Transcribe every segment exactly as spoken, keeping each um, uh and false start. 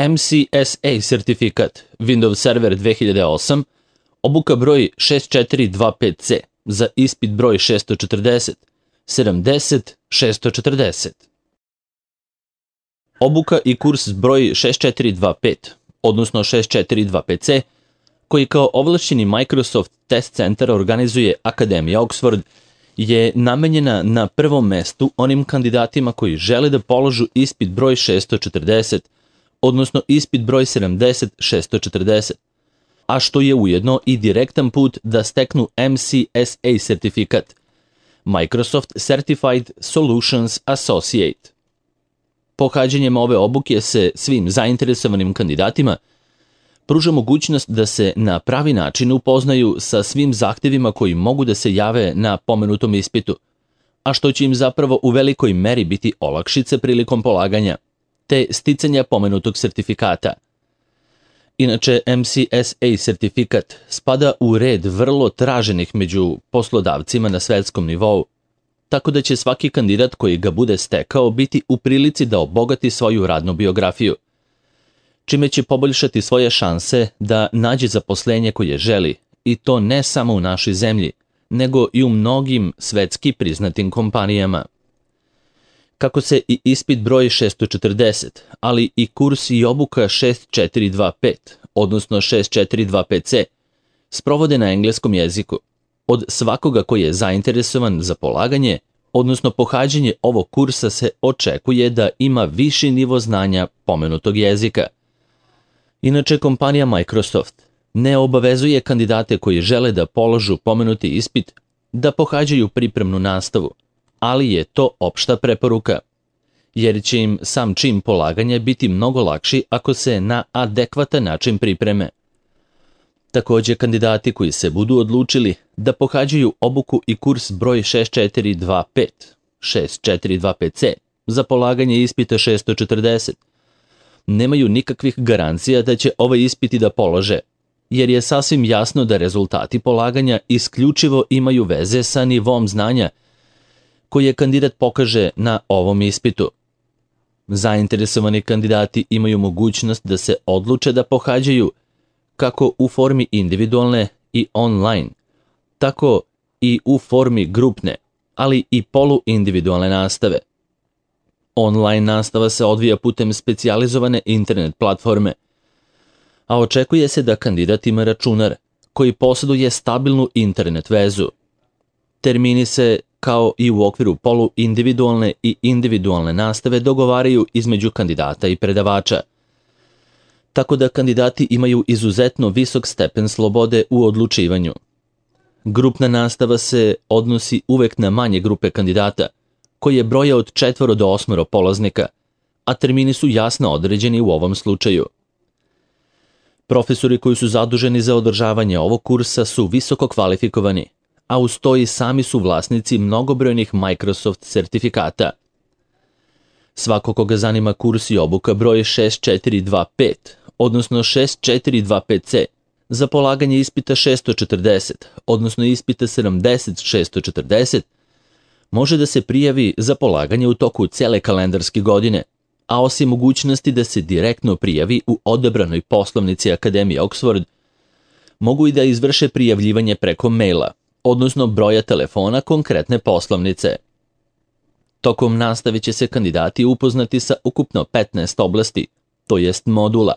M C S A sertifikat Windows Server dve hiljade osam, obuka broj šest četiri dva pet C za ispit broj šesto četrdeset, sedamdeset, šesto četrdeset. Obuka i kurs broj šest četiri dva pet, odnosno šest četiri dva pet C, koji kao ovlašćeni Microsoft Test Center organizuje Akademija Oxford, je namenjena na prvom mestu onim kandidatima koji žele da položu ispit broj šesto četrdeset, odnosno ispit broj sedamdeset, šesto četrdeset, a što je ujedno i direktan put da steknu M C S A sertifikat, Microsoft Certified Solutions Associate. Pohađanjem ove obuke se svim zainteresovanim kandidatima pruža mogućnost da se na pravi način upoznaju sa svim zahtevima koji mogu da se jave na pomenutom ispitu, a što će im zapravo u velikoj meri biti olakšice prilikom polaganja, te sticanja pomenutog sertifikata. Inače, M C S A sertifikat spada u red vrlo traženih među poslodavcima na svetskom nivou, tako da će svaki kandidat koji ga bude stekao biti u prilici da obogati svoju radnu biografiju, čime će poboljšati svoje šanse da nađe zaposlenje koje želi, i to ne samo u našoj zemlji, nego i u mnogim svetski priznatim kompanijama. Kako se i ispit broj šesto četrdeset, ali i kurs i obuka šest četiri dva pet, odnosno šest četiri dva pet C, sprovode na engleskom jeziku, od svakoga koji je zainteresovan za polaganje, odnosno pohađanje ovog kursa, se očekuje da ima viši nivo znanja pomenutog jezika. Inače, kompanija Microsoft ne obavezuje kandidate koji žele da položu pomenuti ispit da pohađaju pripremnu nastavu, ali je to opšta preporuka, jer će im sam čin polaganja biti mnogo lakši ako se na adekvatan način pripreme. Također, kandidati koji se budu odlučili da pohađaju obuku i kurs broj šest četiri dva pet, šest četiri dva pet C za polaganje ispita šesto četrdeset, nemaju nikakvih garancija da će ovaj ispiti da polože, jer je sasvim jasno da rezultati polaganja isključivo imaju veze sa nivom znanja koje kandidat pokaže na ovom ispitu. Zainteresovani kandidati imaju mogućnost da se odluče da pohađaju kako u formi individualne i online, tako i u formi grupne, ali i poluindividualne nastave. Online nastava se odvija putem specijalizovane internet platforme, a očekuje se da kandidat ima računar koji posjeduje stabilnu internet vezu. Termini se, kao i u okviru poluindividualne i individualne nastave, dogovaraju između kandidata i predavača, tako da kandidati imaju izuzetno visok stepen slobode u odlučivanju. Grupna nastava se odnosi uvek na manje grupe kandidata, koje broje od četvoro do osmoro polaznika, a termini su jasno određeni u ovom slučaju. Profesori koji su zaduženi za održavanje ovog kursa su visoko kvalifikovani, a uz to i sami su vlasnici mnogobrojnih Microsoft sertifikata. Svako koga zanima kurs i obuka broj šest četiri dva pet, odnosno šest četiri dva pet C, za polaganje ispita šesto četrdeset, odnosno ispita sedamdeset, šesto četrdeset, može da se prijavi za polaganje u toku cele kalendarske godine, a osim mogućnosti da se direktno prijavi u odabranoj poslovnici Akademije Oxford, mogu i da izvrše prijavljivanje preko maila, odnosno broja telefona konkretne poslovnice. Tokom nastave će se kandidati upoznati sa ukupno petnaest oblasti, to jest modula,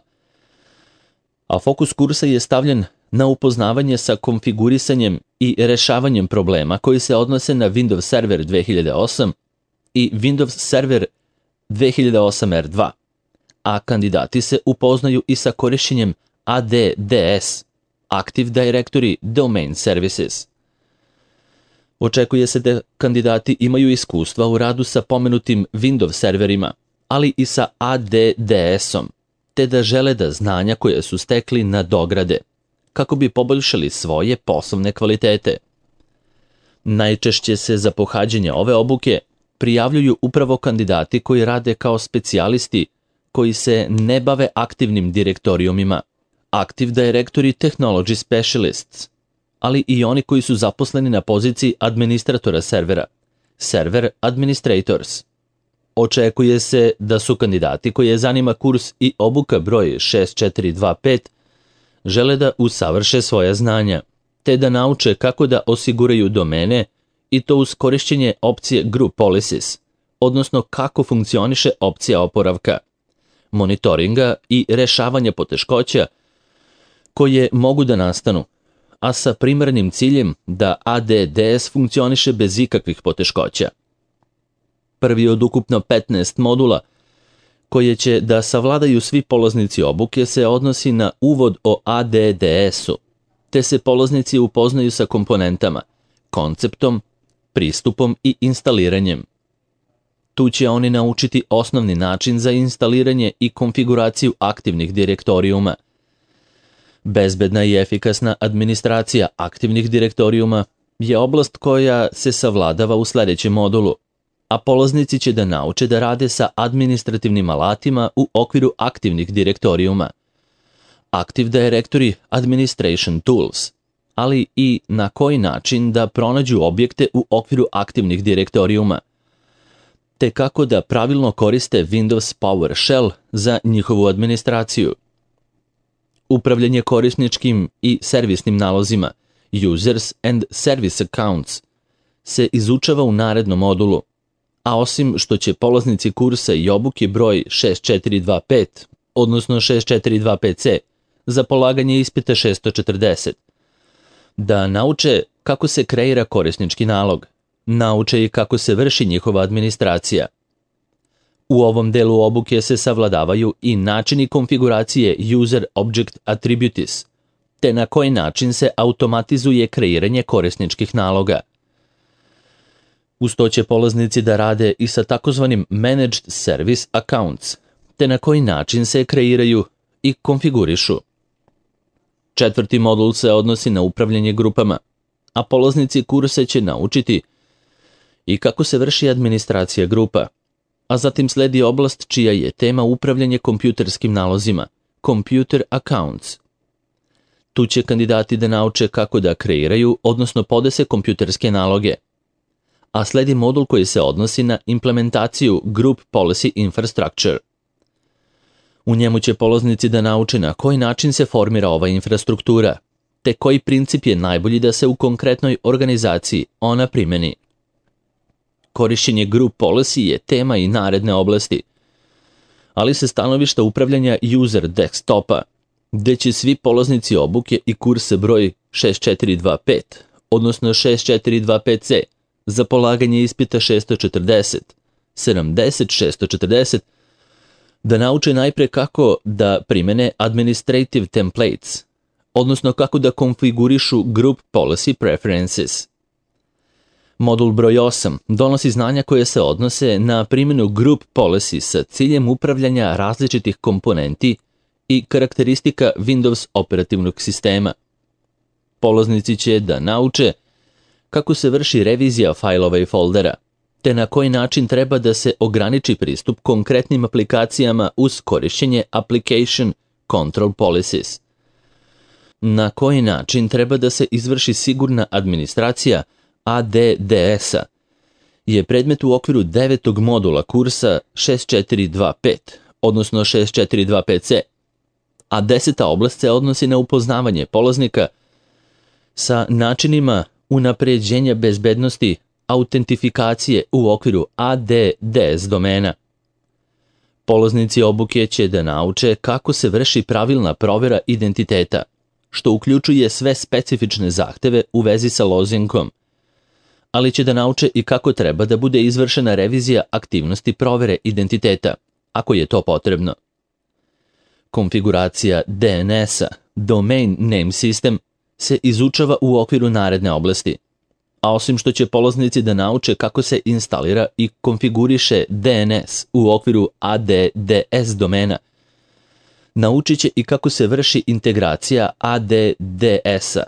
a fokus kursa je stavljen na upoznavanje sa konfigurisanjem i rešavanjem problema koji se odnose na Windows Server dve hiljade osam i Windows Server dve hiljade osam R dva, a kandidati se upoznaju i sa korišćenjem A D D S, Active Directory Domain Services. Očekuje se da kandidati imaju iskustva u radu sa pomenutim Windows serverima, ali i sa A D D S-om, te da žele da znanja koje su stekli nadograde, kako bi poboljšali svoje poslovne kvalitete. Najčešće se za pohađanje ove obuke prijavljuju upravo kandidati koji rade kao specijalisti koji se ne bave aktivnim direktorijumima, Active Directory Technology Specialists, ali i oni koji su zaposleni na poziciji administratora servera, Server Administrators. Očekuje se da su kandidati koje zanima kurs i obuka broj šest četiri dva pet žele da usavrše svoja znanja, te da nauče kako da osiguraju domene i to uz korišćenje opcije Group Policies, odnosno kako funkcioniše opcija oporavka, monitoringa i rešavanja poteškoća koje mogu da nastanu, a sa primarnim ciljem da A D D S funkcioniše bez ikakvih poteškoća. Prvi od ukupno petnaest modula koje će da savladaju svi polaznici obuke se odnosi na uvod o A D D S-u, te se polaznici upoznaju sa komponentama, konceptom, pristupom i instaliranjem. Tu će oni naučiti osnovni način za instaliranje i konfiguraciju aktivnih direktorijuma. Bezbedna i efikasna administracija aktivnih direktorijuma je oblast koja se savladava u sledećem modulu, a polaznici će da nauče da rade sa administrativnim alatima u okviru aktivnih direktorijuma, Active Directory Administration Tools, ali i na koji način da pronađu objekte u okviru aktivnih direktorijuma, te kako da pravilno koriste Windows PowerShell za njihovu administraciju. Upravljanje korisničkim i servisnim nalozima, Users and Service Accounts, se izučava u narednom modulu, a osim što će polaznici kursa i obuke broj šest četiri dva pet, odnosno šest četiri dva pet C, za polaganje ispita šest četrdeset, da nauče kako se kreira korisnički nalog, nauče i kako se vrši njihova administracija. U ovom delu obuke se savladavaju i načini konfiguracije User Object Attributes, te na koji način se automatizuje kreiranje korisničkih naloga. Uz to će polaznici da rade i sa takozvanim Managed Service Accounts, te na koji način se kreiraju i konfigurišu. Četvrti modul se odnosi na upravljanje grupama, a polaznici kursa će naučiti i kako se vrši administracija grupa, a zatim sledi oblast čija je tema upravljanje kompjuterskim nalozima, Computer Accounts. Tu će kandidati da nauče kako da kreiraju, odnosno podese kompjuterske naloge, a sledi modul koji se odnosi na implementaciju Group Policy Infrastructure. U njemu će polaznici da nauče na koji način se formira ova infrastruktura, te koji princip je najbolji da se u konkretnoj organizaciji ona primeni. Korišćenje Group Policy je tema i naredne oblasti, ali se stanovišta upravljanja user desktopa, gde će svi polaznici obuke i kursa broj šest četiri dva pet, odnosno šest četiri dva pet C, za polaganje ispita šest četrdeset, sedamdeset, šest četrdeset, da nauče najpre kako da primene Administrative Templates, odnosno kako da konfigurišu Group Policy Preferences. Modul broj osam donosi znanja koje se odnose na primjenu Group Policy sa ciljem upravljanja različitih komponenti i karakteristika Windows operativnog sistema. Polaznici će da nauče kako se vrši revizija fajlova i foldera, te na koji način treba da se ograniči pristup konkretnim aplikacijama uz korišćenje Application Control Policies. Na koji način treba da se izvrši sigurna administracija A D D S-a je predmet u okviru devetog modula kursa šest četiri dva pet, odnosno šest četiri dva pet C, a deseta oblast se odnosi na upoznavanje polaznika sa načinima unapređenja bezbednosti autentifikacije u okviru A D D S domena. Polaznici obuke će da nauče kako se vrši pravilna provera identiteta, što uključuje sve specifične zahteve u vezi sa lozinkom, ali će da nauče i kako treba da bude izvršena revizija aktivnosti provere identiteta, ako je to potrebno. Konfiguracija D N S-a, Domain Name System, se izučava u okviru naredne oblasti, a osim što će polaznici da nauče kako se instalira i konfiguriše D N S u okviru A D D S domena, naučit će i kako se vrši integracija A D D S-a,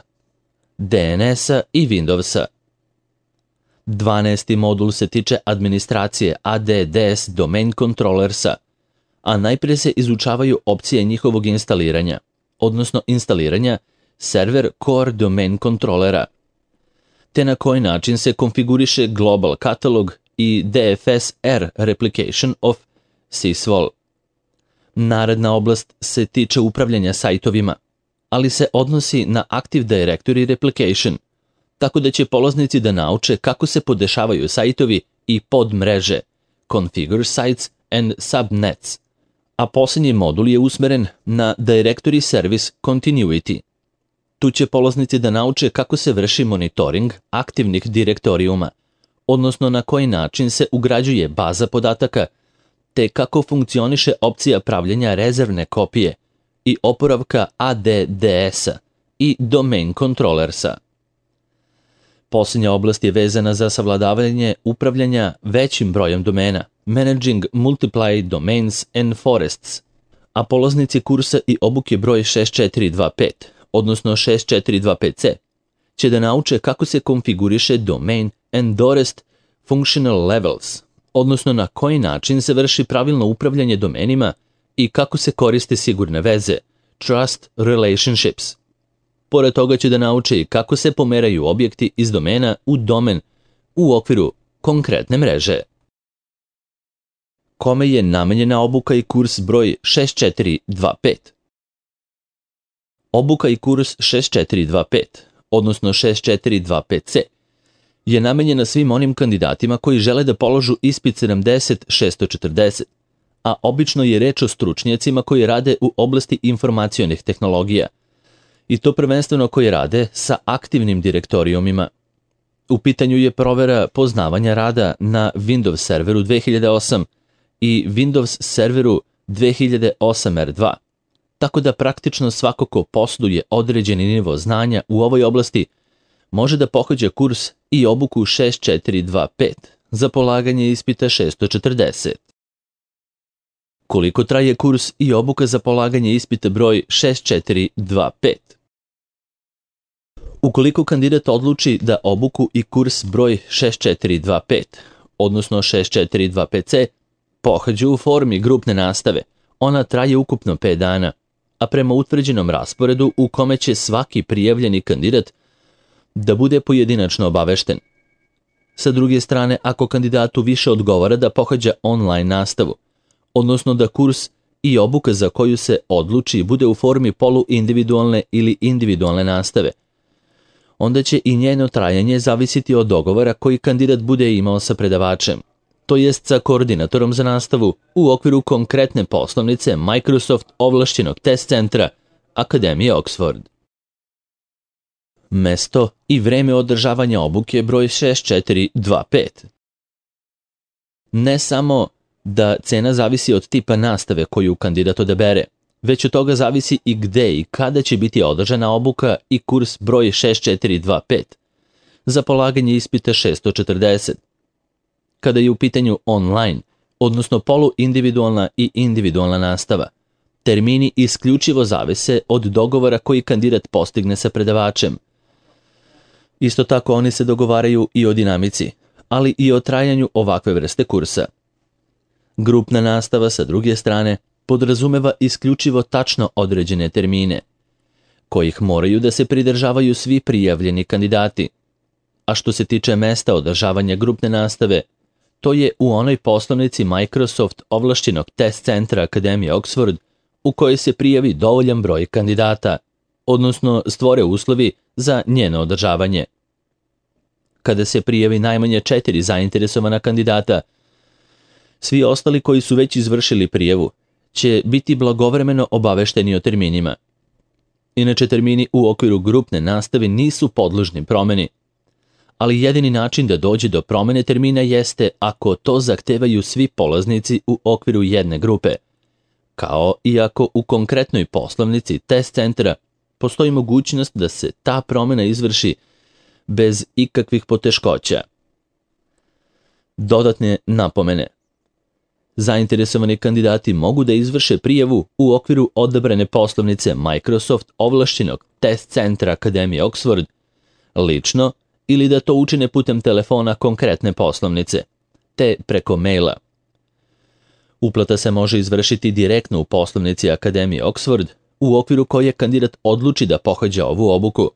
D N S-a i Windowsa. dvanaesti modul se tiče administracije A D D S Domain Controllersa, a najprije se izučavaju opcije njihovog instaliranja, odnosno instaliranja Server Core Domain Controllera, te na koji način se konfiguriše Global Catalog i D F S R Replication of Sysvol. Naredna oblast se tiče upravljanja sajtovima, ali se odnosi na Active Directory Replication, tako da će polaznici da nauče kako se podešavaju sajtovi i podmreže, Configure Sites and Subnets, a posljednji modul je usmeren na Directory Service Continuity. Tu će polaznici da nauče kako se vrši monitoring aktivnih direktorijuma, odnosno na koji način se ugrađuje baza podataka, te kako funkcioniše opcija pravljenja rezervne kopije i oporavka A D D S-a i Domain Controllersa. Posljednja oblast je vezana za savladavanje upravljanja većim brojem domena, Managing Multiply Domains and Forests, a polaznici kursa i obuke broj šest četiri dva pet, odnosno šest četiri dva pet C, će da nauče kako se konfiguriše Domain and Forest Functional Levels, odnosno na koji način se vrši pravilno upravljanje domenima i kako se koriste sigurne veze, Trust Relationships. Pored toga će da nauče i kako se pomeraju objekti iz domena u domen u okviru konkretne mreže. Kome je namenjena obuka i kurs broj šest četiri dva pet? Obuka i kurs šest četiri dva pet, odnosno šest četiri dva pet C, je namenjena svim onim kandidatima koji žele da položu ispit sedamdeset šest četrdeset, a obično je reč o stručnjacima koji rade u oblasti informacionih tehnologija, i to prvenstveno koji rade sa aktivnim direktorijumima. U pitanju je provera poznavanja rada na Windows serveru dve hiljade osam i Windows serveru dve hiljade osam R dva, tako da praktično svako ko posjeduje određeni nivo znanja u ovoj oblasti može da pohađa kurs i obuku šest četiri dva pet za polaganje ispita šest četrdeset. Koliko traje kurs i obuka za polaganje ispita broj šest četiri dva pet? Ukoliko kandidat odluči da obuku i kurs broj šest četiri dva pet, odnosno šest četiri dva pet C, pohađa u formi grupne nastave, ona traje ukupno pet dana, a prema utvrđenom rasporedu u kome će svaki prijavljeni kandidat da bude pojedinačno obavešten. Sa druge strane, ako kandidatu više odgovara da pohađa online nastavu, odnosno da kurs i obuka za koju se odluči bude u formi poluindividualne ili individualne nastave, onda će i njeno trajanje zavisiti od dogovora koji kandidat bude imao sa predavačem, to jest sa koordinatorom za nastavu u okviru konkretne poslovnice Microsoft ovlašćenog test centra Akademije Oxford. Mesto i vreme održavanja obuke broj šest četiri dva pet. Ne samo da cena zavisi od tipa nastave koju kandidat odabere, već od toga zavisi i gde i kada će biti održana obuka i kurs broj šest četiri dva pet za polaganje ispita šest četrdeset. Kada je u pitanju online, odnosno poluindividualna i individualna nastava, termini isključivo zavise od dogovora koji kandidat postigne sa predavačem. Isto tako oni se dogovaraju i o dinamici, ali i o trajanju ovakve vrste kursa. Grupna nastava, sa druge strane, podrazumeva isključivo tačno određene termine, kojih moraju da se pridržavaju svi prijavljeni kandidati. A što se tiče mesta održavanja grupne nastave, to je u onoj poslovnici Microsoft ovlašćenog test centra Akademije Oxford u kojoj se prijavi dovoljan broj kandidata, odnosno stvore uslovi za njeno održavanje. Kada se prijavi najmanje četiri zainteresovana kandidata, svi ostali koji su već izvršili prijavu će biti blagovremeno obavešteni o terminima. Inače, termini u okviru grupne nastave nisu podložni promeni, ali jedini način da dođe do promene termina jeste ako to zahtevaju svi polaznici u okviru jedne grupe, kao i ako u konkretnoj poslovnici test centra postoji mogućnost da se ta promena izvrši bez ikakvih poteškoća. Dodatne napomene. Zainteresovani kandidati mogu da izvrše prijavu u okviru odabrane poslovnice Microsoft ovlašćenog test centra Akademije Oxford lično ili da to učine putem telefona konkretne poslovnice, te preko maila. Uplata se može izvršiti direktno u poslovnici Akademije Oxford u okviru koje kandidat odluči da pohađa ovu obuku.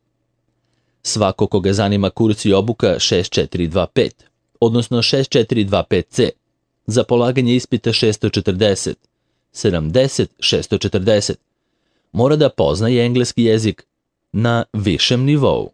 Svako koga zanima kurs i obuka šest četiri dva pet, odnosno šest četiri dva pet ce, za polaganje ispita šesto četrdeset, sedamdeset šesto četrdeset. Mora da poznaje engleski jezik na višem nivou.